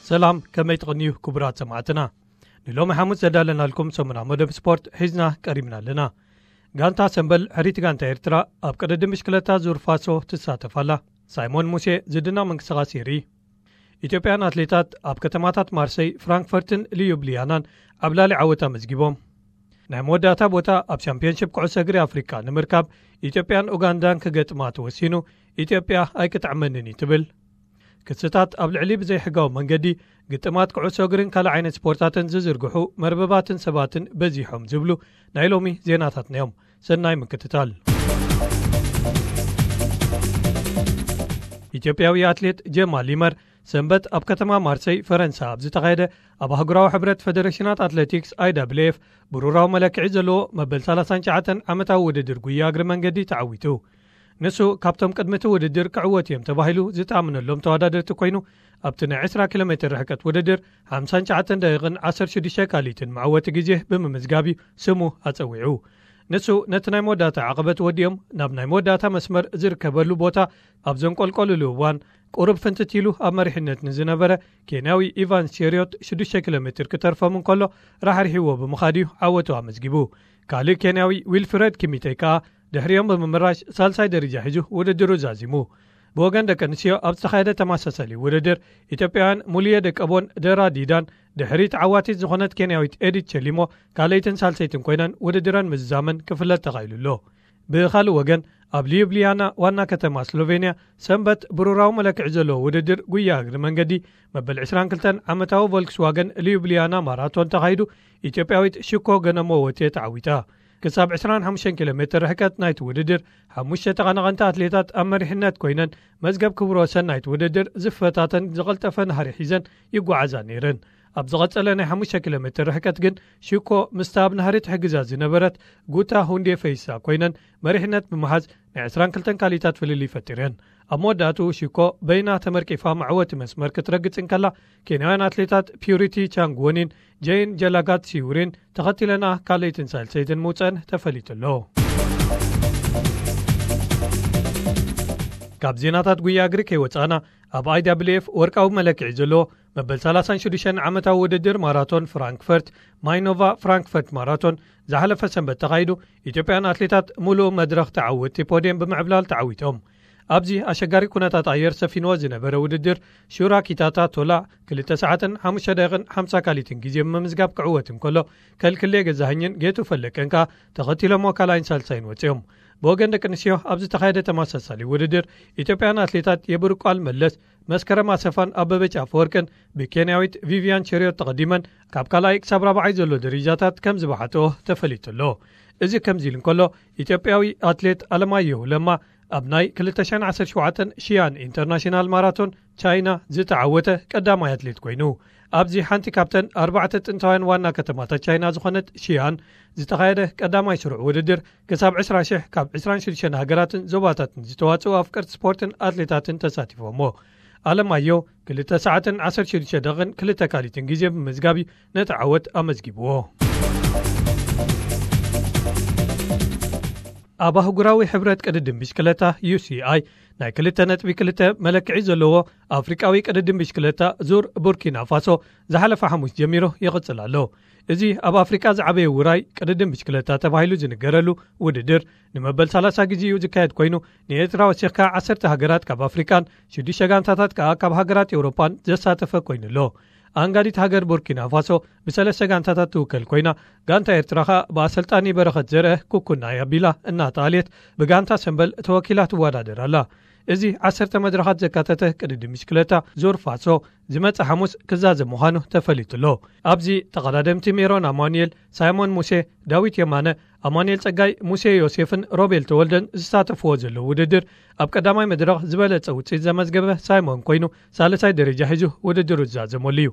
ሰላም፣ ከመይ ትቕንዩ ክቡራት ሰማዕትና? ንሎሚ ሓሙስ ዘዳለናልኩም ሰሙና መደብ ስፖርት ሒዝና ቀሪብና ኣለና። ጋንታ ሰምበል ሕሪት ጋንታ ኤርትራ ኣብ ቅድድም ብሽክለታ ዙር ፋሶ ትሳተፍ ኣላ። ሳይሞን ሙሴ ዝድነቕ ምንቅስቓስ የርኢ። ኢትዮጵያን ኣትሌታት ኣብ ከተማታት ማርሰይ፣ ፍራንክፈርትን ሊዩብሊያናን ዓብላሊ ዓወት ኣመዝጊቦም። ናይ መወዳእታ ቦታ ኣብ ሻምፒዮንሺፕ ኩዕሶ እግሪ ኣፍሪቃ ንምርካብ ኢትዮጵያን ኡጋንዳን ክገጥማ ተወሲኑ፣ ኢትዮጵያ ኣይክጥዕመንን እዩ ትብል። ክስታት ኣብ ልዕሊ ብዘይሕጋዊ መንገዲ ግጥማት ኩዕሶ እግርን ካልእ ዓይነት ስፖርታትን ዝዝርግሑ መርበባትን ሰባትን በዚሖም ዝብሉ ናይ ሎሚ ዜናታትና እዮም። ሰናይ ምክትታል። ኢትዮጵያዊ ኣትሌት ጀማል ይመር ሰንበት ኣብ ከተማ ማርሰይ ፈረንሳ ኣብ ዝተኻየደ ኣብ ኣህጉራዊ ሕብረት ፈደሬሽናት ኣትሌቲክስ I W F ብሩራዊ መለክዒ ዘለዎ መበል ሰላሳን ትሽዓተን ዓመታዊ ውድድር ጉያ እግሪ መንገዲ ተዓዊቱ። ንሱ ካብቶም ቅድሚ እቲ ውድድር ክዕወት እዮም ተባሂሉ ዝተኣምነሎም ተወዳደርቲ ኮይኑ፣ ኣብቲ ናይ ዕስራ ኪሎ ሜትር ርሕቀት ውድድር ሓምሳን ትሽዓተን ደቂቕን ዓሰርተ ሽዱሽተ ካልኢትን መዕወቲ ግዜ ብምምዝጋብ እዩ ስሙ ኣጸዊዑ። ንሱ ነቲ ናይ መወዳእታ ዓቐበት ወዲኦም ናብ ናይ መወዳእታ መስመር ዝርከበሉ ቦታ ኣብ ዘንቆልቆልሉ እዋን፣ ቁሩብ ፍንትት ኢሉ ኣብ መሪሕነት ንዝነበረ ኬንያዊ ኢቫንስ ቼሪዮት ሽዱሽተ ኪሎ ሜትር ክተርፎም እንከሎ ራሕሪሕዎ ብምኻድ እዩ ዓወቱ ኣመዝጊቡ። ካልእ ኬንያዊ ዊልፍረድ ኪሚቴ ከኣ ድሕሪኦም ብምምራሽ ሳልሳይ ደረጃ ሒዙ ውድድሩ ዛዚሙ። ብወገን ደቂ ኣንስትዮ ኣብ ዝተኻየደ ተመሳሳሊ ውድድር፣ ኢትዮጵያውያን ሙልየ ደቀቦን ደራ ዲዳን ድሕሪ ተዓዋቲት ዝኾነት ኬንያዊት ኤዲት ቸሊሞ ካልኣይትን ሳልሰይትን ኮይነን ውድድረን ምዝዛመን ክፍለጥ ተኻኢሉ ኣሎ። ብኻልእ ወገን፣ ኣብ ሊዩብሊያና ዋና ከተማ ስሎቬንያ ሰንበት ብሩራዊ መለክዒ ዘለዎ ውድድር ጉያ እግሪ መንገዲ መበል ዕስራን ክልተን ዓመታዊ ቮልክስዋገን ሊዩብሊያና ማራቶን ተኻይዱ፣ ኢትዮጵያዊት ሽኮ ገነሞ ወቴ ተዓዊታ። ክሳብ ዕስራን ሓሙሽተን ኪሎ ሜትር ርሕቀት ናይቲ ውድድር፣ ሓሙሽተ ተቐናቐንቲ ኣትሌታት ኣብ መሪሕነት ኮይነን፣ መዝገብ ክብረ ወሰን ናይቲ ውድድር ዝፈታተን ዝቐልጠፈ ናህሪ ሒዘን ይጓዓዛ ነይረን። ኣብ ዝቐጸለ ናይ ሓሙሽተ ኪሎ ሜትር ርሕቀት ግን፣ ሽኮ ምስታ ኣብ ናህሪ ትሕግዛ ዝነበረት ጉታ ሁንዴ ፈይሳ ኮይነን፣ መሪሕነት ብምሓዝ ናይ ዕስራን ክልተን ካልኢታት ፍልልይ ፈጢረን። ኣብ መወዳእትኡ ሽኮ በይና ተመርቂፋ መዕወቲ መስመር ክትረግጽ እንከላ፣ ኬንያውያን ኣትሌታት ፒዩሪቲ ቻንግዎኒን ጀይን ጀላጋት ሲውሪን ተኸቲለና ካልኣይትን ሳልሰይትን ምውጸን ተፈሊጡ ኣሎ። ካብ ዜናታት ጉያ እግሪ ከይወጻእና፣ ኣብ I W F ወርቃዊ መለክዒ ዘለዎ መበል ሰላሳን ሽዱሽተን ዓመታዊ ውድድር ማራቶን ፍራንክፈርት፣ ማይኖቫ ፍራንክፈርት ማራቶን፣ ዝሓለፈ ሰንበት ተኻይዱ፣ ኢትዮጵያን ኣትሌታት ሙሉእ መድረኽ ተዓወትቲ ፖድየም ብምዕብላል ተዓዊቶም። ኣብዚ ኣሸጋሪ ኩነታት ኣየር ሰፊንዎ ዝነበረ ውድድር፣ ሹራ ኪታታ ቶላ ክልተ ሰዓትን ሓሙሽተ ደቂቕን ሓምሳ ካልኢትን ግዜ ብምምዝጋብ ክዕወት እንከሎ፣ ከልክሌ ገዛኸኝን ጌቱ ፈለቀን ከኣ ተኸቲሎሞ ካልኣይን ሳልሳይን ወጺኦም። ብወገን ደቂ ኣንስትዮ ኣብ ዝተኻየደ ተመሳሳሊ ውድድር፣ ኢትዮጵያን ኣትሌታት የብርቋል መለስ፣ መስከረም ኣሰፋን ኣበበች ኣፈወርቅን ብኬንያዊት ቪቪያን ቸሪዮት ተቐዲመን ካብ ካልኣይ ክሳብ ራብዓይ ዘሎ ደረጃታት ከም ዝበሓትኦ ተፈሊጡ ኣሎ። እዚ ከምዚ ኢሉ እንከሎ፣ ኢትዮጵያዊ ኣትሌት ኣለማየሁ ለማ ኣብ ናይ ክልተ ሽሕን ዓሰርተ ሸውዓተን ሺያን ኢንተርናሽናል ማራቶን ቻይና ዝተዓወተ ቀዳማይ ኣትሌት ኮይኑ፣ ኣብዚ ሓንቲ ካብተን ኣርባዕተ ጥንታውያን ዋና ከተማታት ቻይና ዝኾነት ሺያን ዝተኻየደ ቀዳማይ ስሩዕ ውድድር፣ ክሳብ ዕስራ ሽሕ ካብ ዕስራን ሽዱሽተን ሃገራትን ዞባታትን ዝተዋጽኡ ኣፍቀርቲ ስፖርትን ኣትሌታትን ተሳቲፎሞ። ኣለማዮ ክልተ ሰዓትን ዓሰርተ ሽዱሽተ ደቂቕን ክልተ ካልኢትን ግዜ ብምምዝጋብ እዩ ነቲ ዓወት ኣመዝጊብዎ። ኣብ ኣህጉራዊ ሕብረት ቅድድም ብሽክለታ U C I ናይ ክልተ ነጥቢ ክልተ መለክዒ ዘለዎ ኣፍሪቃዊ ቅድድም ብሽክለታ ዙር ቡርኪና ፋሶ ዝሓለፈ ሓሙስ ጀሚሩ ይቕጽል ኣሎ። እዚ ኣብ ኣፍሪቃ ዝዓበየ ውራይ ቅድድም ብሽክለታ ተባሂሉ ዝንገረሉ ውድድር ንመበል ሰላሳ ግዜ እዩ ዝካየድ ኮይኑ፣ ንኤርትራ ወሲኽካ ዓሰርተ ሃገራት ካብ ኣፍሪቃን ሽዱሽተ ጋንታታት ከኣ ካብ ሃገራት ኤውሮጳን ዘሳተፈ ኮይኑ ኣሎ። ኣንጋዲት ሃገር ቡርኪና ፋሶ ብሰለስተ ጋንታታት ትውከል ኮይና፣ ጋንታ ኤርትራ ከኣ ብኣሰልጣኒ በረኸት ዘርአ ኩኩናይ ኣቢላ እናተኣልየት ብጋንታ ሰምበል ተወኪላ ትወዳደር ኣላ። እዚ ዓሰርተ መድረኻት ዘካተተ ቅድድም ብሽክለታ ዙር ፋሶ ዝመጽእ ሓሙስ ክዛዘም ምዃኑ ተፈሊጡ ኣሎ። ኣብዚ ተቐዳደምቲ ሜሮን ኣማኑኤል፣ ሳይሞን ሙሴ፣ ዳዊት የማነ፣ ኣማኑኤል ጸጋይ፣ ሙሴ ዮሴፍን ሮቤል ተወልደን ዝሳተፍዎ ዘለዉ ውድድር፣ ኣብ ቀዳማይ መድረኽ ዝበለጸ ውጽኢት ዘመዝገበ ሳይሞን ኮይኑ፣ ሳልሳይ ደረጃ ሒዙ ውድድሩ ዝዛዘመሉ እዩ።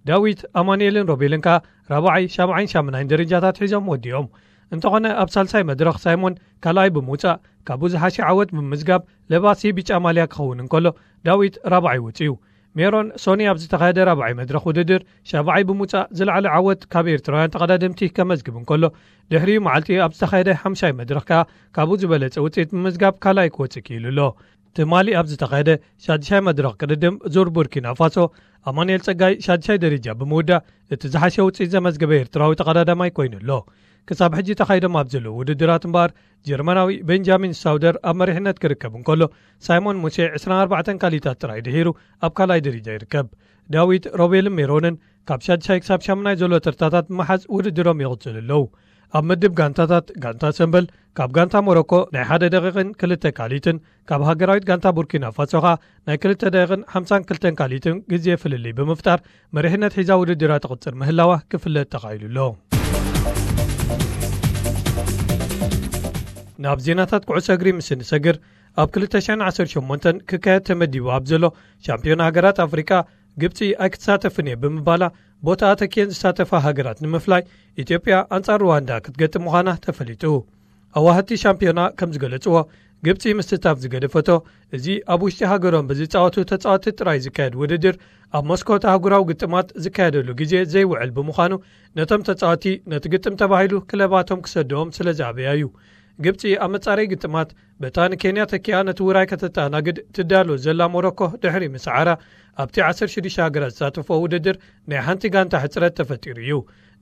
ዳዊት፣ ኣማኑኤልን ሮቤልን ከኣ ራብዓይ፣ ሻብዓይን ሻምናይን ደረጃታት ሒዞም ወዲኦም። እንተኾነ፣ ኣብ ሳልሳይ መድረኽ ሳይሞን ካልኣይ ብምውጻእ፣ ካብኡ ዝሓሸ ዓወት ብምምዝጋብ ለባሲ ብጫ ማልያ ክኸውን እንከሎ፣ ዳዊት ራብዓይ ወጺኡ። ሜሮን ሶኒ ኣብ ዝተኻየደ ራብዓይ መድረኽ ውድድር ሻብዓይ ብምውጻእ ዝለዓለ ዓወት ካብ ኤርትራውያን ተቐዳደምቲ ከመዝግብ እንከሎ፣ ድሕሪኡ መዓልቲ ኣብ ዝተኻየደ ሓምሻይ መድረኽ ከኣ ካብኡ ዝበለጸ ውጽኢት ብምምዝጋብ ካልኣይ ክወጽእ ክኢሉ ኣሎ። ትማሊ ኣብ ዝተኻየደ ሻድሻይ መድረኽ ቅድድም ዙር ቡርኪና ፋሶ፣ ኣማኑኤል ጸጋይ ሻድሻይ ደረጃ ብምውዳእ እቲ ዝሓሸ ውጽኢት ዘመዝገበ ኤርትራዊ ተቐዳዳማይ ኮይኑ ኣሎ። ክሳብ ሕጂ ተኻይዶም ኣብ ዘለዉ ውድድራት እምበኣር፣ ጀርመናዊ ቤንጃሚን ሳውደር ኣብ መሪሕነት ክርከብ እንከሎ፣ ሳይሞን ሙሴ ዕስራን ኣርባዕተን ካሊታት ጥራይ ድሒሩ ኣብ ካልኣይ ደረጃ ይርከብ። ዳዊት ሮቤልን ሜሮንን ካብ ሻድሻይ ክሳብ ሻምናይ ዘሎ ተርታታት ብምሓዝ ውድድሮም ይቕጽሉ ኣለዉ። ኣብ ምድብ ጋንታታት፣ ጋንታ ሰምበል ካብ ጋንታ ሞሮኮ ናይ ሓደ ደቂቕን ክልተ ካሊትን፣ ካብ ሃገራዊት ጋንታ ቡርኪና ፋሶ ኸኣ ናይ ክልተ ደቂቕን ሓምሳን ክልተን ካሊትን ግዜ ፍልልይ ብምፍጣር መሪሕነት ሒዛ ውድድራ ትቕጽር ምህላዋ ክፍለጥ ተኻኢሉ ኣሎ። ናብ ዜናታት ኩዕሶ እግሪ ምስ እንሰግር፣ ኣብ ክልተ ሽሕን ዓሰርተ ሸሞንተን ክካየድ ተመዲቡ ኣብ ዘሎ ሻምፒዮን ሃገራት ኣፍሪቃ፣ ግብጺ ኣይክትሳተፍን እየ ብምባላ፣ ቦታኣ ተኪኤን ዝሳተፋ ሃገራት ንምፍላይ፣ ኢትዮጵያ ኣንጻር ሩዋንዳ ክትገጥም ምዃና ተፈሊጡ። ኣዋህቲ ሻምፒዮና ከም ዝገለጽዎ፣ ግብጺ ምስታፍ ዝገደፈቶ፣ እዚ ኣብ ውሽጢ ሃገሮም ብዝጻወቱ ተጻወቲ ጥራይ ዝካየድ ውድድር፣ ኣብ መስኮት ኣህጉራዊ ግጥማት ዝካየደሉ ግዜ ዘይውዕል ብምዃኑ፣ ነቶም ተጻወቲ ነቲ ግጥም ተባሂሉ ክለባቶም ክሰደዎም ስለ ዝኣበያ እዩ። ግብጺ ኣብ መጻረይ ግጥማት፣ በታ ንኬንያ ተኪኣ ነቲ ውራይ ከተተኣናግድ ትዳሎ ዘላ ሞሮኮ ድሕሪ ምስዓራ፣ ኣብቲ ዓሰርተ ሽዱሽተ ሃገራት ዝሳተፎ ውድድር ናይ ሓንቲ ጋንታ ሕጽረት ተፈጢሩ እዩ።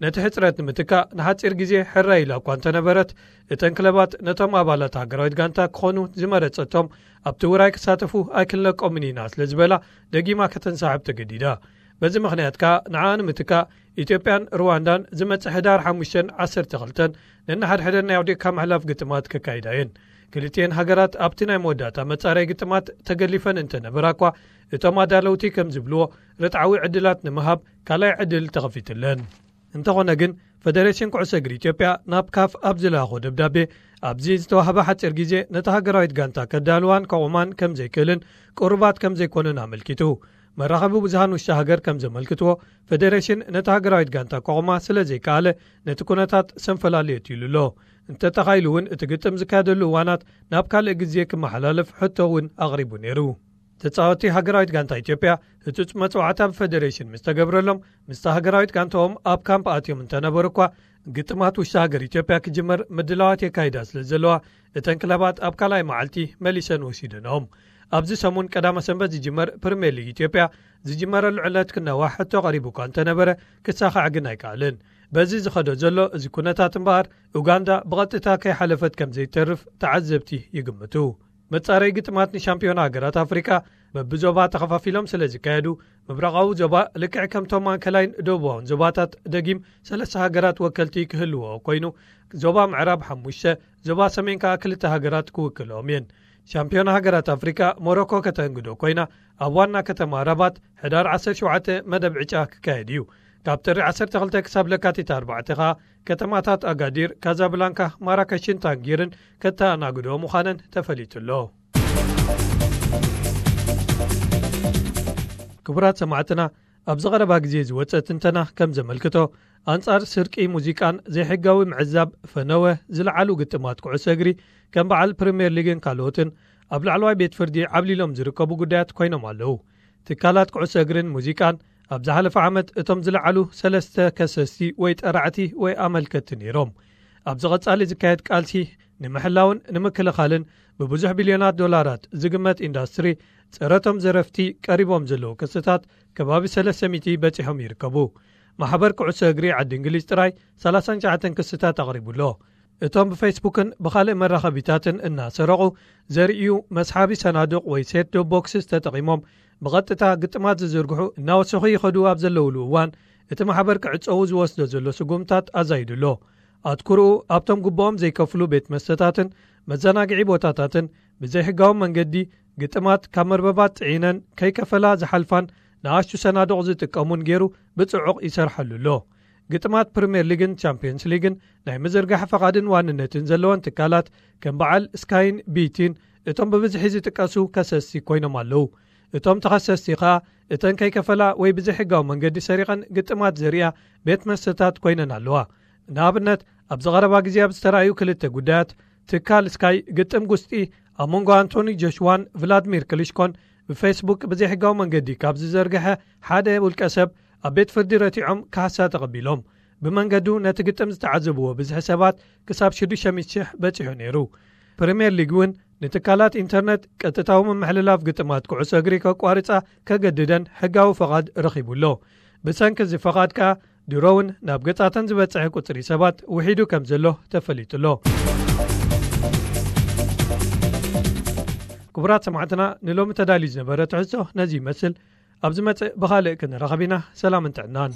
ነቲ ሕጽረት ንምትካእ ንሓጺር ግዜ ሕራይ ኢላ እኳ እንተነበረት፣ እተን ክለባት ነቶም ኣባላት ሃገራዊት ጋንታ ክኾኑ ዝመረጸቶም ኣብቲ ውራይ ክሳተፉ ኣይክንለቆምን ኢና ስለ ዝበላ፣ ደጊማ ከተንሳሕብ ተገዲዳ። በዚ ምኽንያት ከኣ ንዓኣ ንምትካእ፣ ኢትዮጵያን ሩዋንዳን ዝመጽእ ሕዳር ሓሙሽተን ዓሰርተ ክልተን ነንሓድሕደን ናይ ኣውዲቕካ ምሕላፍ ግጥማት ከካይዳ እየን። ክልቲኤን ሃገራት ኣብቲ ናይ መወዳእታ መጻረይ ግጥማት ተገሊፈን እንተነበራ እኳ፣ እቶም ኣዳለውቲ ከም ዝብልዎ፣ ርትዓዊ ዕድላት ንምሃብ ካልኣይ ዕድል ተኸፊትለን። እንተኾነ ግን፣ ፈደሬሽን ኩዕሶ እግሪ ኢትዮጵያ ናብ ካፍ ኣብ ዝለኣኾ ደብዳቤ፣ ኣብዚ ዝተዋህበ ሓጺር ግዜ ነታ ሃገራዊት ጋንታ ከዳልዋን ከቑማን ከም ዘይክእልን ቅሩባት ከም ዘይኮኑን ኣመልኪቱ። መራኸቢ ብዙሃን ውሽጢ ሃገር ከም ዘመልክትዎ፣ ፈደሬሽን ነታ ሃገራዊት ጋንታ ከቑማ ስለ ዘይከኣለ፣ ነቲ ኩነታት ሰንፈላል የእትዩሉ ኣሎ። እንተተኻኢሉ እውን፣ እቲ ግጥም ዝካየደሉ እዋናት ናብ ካልእ ግዜ ክመሓላለፍ ሕቶ እውን ኣቕሪቡ ነይሩ። ተጻወቲ ሃገራዊት ጋንታ ኢትዮጵያ ህጹጽ መጽዋዕታ ብፈደሬሽን ምስ ተገብረሎም፣ ምስታ ሃገራዊት ጋንታኦም ኣብ ካምፕ ኣትዮም እንተነበሩ እኳ፣ ግጥማት ውሽጢ ሃገር ኢትዮጵያ ክጅመር ምድላዋት የካይዳ ስለ ዘለዋ፣ እተን ክለባት ኣብ ካልኣይ መዓልቲ መሊሰን ወሲደንኦም። ኣብዚ ሰሙን ቀዳመ ሰንበት ዝጅመር ፕሪምየር ሊግ ኢትዮጵያ ዝጅመረሉ ዕለት ክናዋሕ ሕቶ ቀሪቡ እኳ እንተነበረ፣ ክሳኻዕ ግን ኣይከኣልን። በዚ ዝኸዶ ዘሎ እዚ ኩነታት እምበኣር፣ ኡጋንዳ ብቐጥታ ከይሓለፈት ከም ዘይተርፍ ተዓዘብቲ ይግምቱ። መጻረይ ግጥማት ንሻምፒዮን ሃገራት ኣፍሪቃ በብዞባ ተኸፋፊሎም ስለ ዝካየዱ፣ ምብራቓዊ ዞባ ልክዕ ከምቶም ማእከላይን ደቡባውን ዞባታት ደጊም ሰለስተ ሃገራት ወከልቲ ክህልዎ ኮይኑ፣ ዞባ ምዕራብ ሓሙሽተ፣ ዞባ ሰሜን ከኣ ክልተ ሃገራት ክውክልኦም እየን። ሻምፒዮን ሃገራት ኣፍሪቃ ሞሮኮ ከተንግዶ ኮይና፣ ኣብ ዋና ከተማ ራባት ሕዳር ዓሰርተ ሸውዓተ መደብ ዕጫ ክካየድ እዩ። ካብ ጥሪ ዓሰርተ ክልተ ክሳብ ለካቲት ኣርባዕተ ከኣ፣ ከተማታት ኣጋዲር፣ ካዛብላንካ፣ ማራከሽን ታንጊርን ከተኣናግዶ ምዃነን ተፈሊጡ ኣሎ። ክቡራት ሰማዕትና፣ ኣብዚ ቀረባ ግዜ ዝወጸ ትንተና ከም ዘመልክቶ፣ ኣንጻር ስርቂ ሙዚቃን ዘይሕጋዊ ምዕዛብ ፈነወ ዝለዓሉ ግጥማት ኩዕሶ እግሪ፣ ከም በዓል ፕሪምየር ሊግን ካልኦትን፣ ኣብ ላዕለዋይ ቤት ፍርዲ ዓብሊሎም ዝርከቡ ጉዳያት ኮይኖም ኣለዉ። ትካላት ኩዕሶ እግርን ሙዚቃን፣ ኣብ ዝሓለፈ ዓመት እቶም ዝለዓሉ ሰለስተ ከሰስቲ ወይ ጠራዕቲ ወይ ኣመልከትቲ ነይሮም። ኣብዚ ቐጻሊ ዝካየድ ቃልሲ ንምሕላውን ንምክልኻልን ብብዙሕ ቢልዮናት ዶላራት ዝግመት ኢንዳስትሪ፣ ጸረቶም ዘረፍቲ ቀሪቦም ዘለዉ ክስታት ከባቢ ሰለስተ ሚእቲ በጺሖም ይርከቡ። ማሕበር ኩዕሶ እግሪ ዓዲ እንግሊዝ ጥራይ ሰላሳን ትሽዓተን ክስታት ኣቕሪቡ ኣሎ። እቶም ብፌስቡክን ብኻልእ መራኸቢታትን እናሰረቑ ዘርእዩ መስሓቢ ሰናዱቕ ወይ ሴት ዶፕ ቦክስስ ተጠቒሞም ብቐጥታ ግጥማት ዝዝርግሑ እናወሰኹ ይኸዱ ኣብ ዘለውሉ እዋን፣ እቲ ማሕበር ክዕጸዉ ዝወስዶ ዘሎ ስጉምታት ኣዛይዱ ኣሎ። ኣትኩርኡ ኣብቶም ግቡኦም ዘይከፍሉ ቤት መስተታትን መዘናግዒ ቦታታትን ብዘይሕጋዊ መንገዲ ግጥማት ካብ መርበባት ጽዒነን ከይከፈላ ዝሓልፋን ንኣሽቱ ሰናዱቕ ዝጥቀሙን ገይሩ ብጽዑቕ ይሰርሓሉ ኣሎ። ግጥማት ፕሪምየር ሊግን ቻምፒየንስ ሊግን ናይ ምዝርጋሕ ፈቓድን ዋንነትን ዘለወን ትካላት ከም በዓል ስካይን ቢቲን እቶም ብብዝሒ ዝጥቀሱ ከሰስቲ ኮይኖም ኣለዉ። እቶም ተኸሰስቲ ኸኣ እተን ከይከፈላ ወይ ብዘይሕጋዊ መንገዲ ሰሪቐን ግጥማት ዘርእያ ቤት መስተታት ኮይነን ኣለዋ። ንኣብነት፣ ኣብዚ ቐረባ ግዜ ኣብ ዝተራእዩ ክልተ ጉዳያት፣ ትካል ስካይ ግጥም ጉስጢ ኣብ መንጎ ኣንቶኒ ጆሽዋን ቭላድሚር ክሊሽኮን ብፌስቡክ ብዘይሕጋዊ መንገዲ ካብ ዝዘርግሐ ሓደ ውልቀ ሰብ ኣብ ቤት ፍርዲ ረቲዖም ካሕሳ ተቐቢሎም። ብመንገዱ ነቲ ግጥም ዝተዓዘብዎ ብዝሒ ሰባት ክሳብ ሽዱሽተ ሚእቲ ሽሕ በጺሑ ነይሩ። ፕሪምየር ሊግ እውን ንትካላት ኢንተርነት ቀጥታዊ ምምሕልላፍ ግጥማት ኩዕሶ እግሪ ከቋርጻ ከገድደን ሕጋዊ ፈቓድ ረኺቡ ኣሎ። ብሰንኪ እዚ ፈቓድ ከኣ ድሮ እውን ናብ ገጻተን ዝበጽሐ ቁጽሪ ሰባት ውሒዱ ከም ዘሎ ተፈሊጡ ኣሎ። ክቡራት ሰማዕትና፣ ንሎሚ ተዳልዩ ዝነበረ ትሕዝቶ ነዚ ይመስል። ኣብ ዝመጽእ ብኻልእ ክንራኸብ ኢና። ሰላምን ጥዕናን።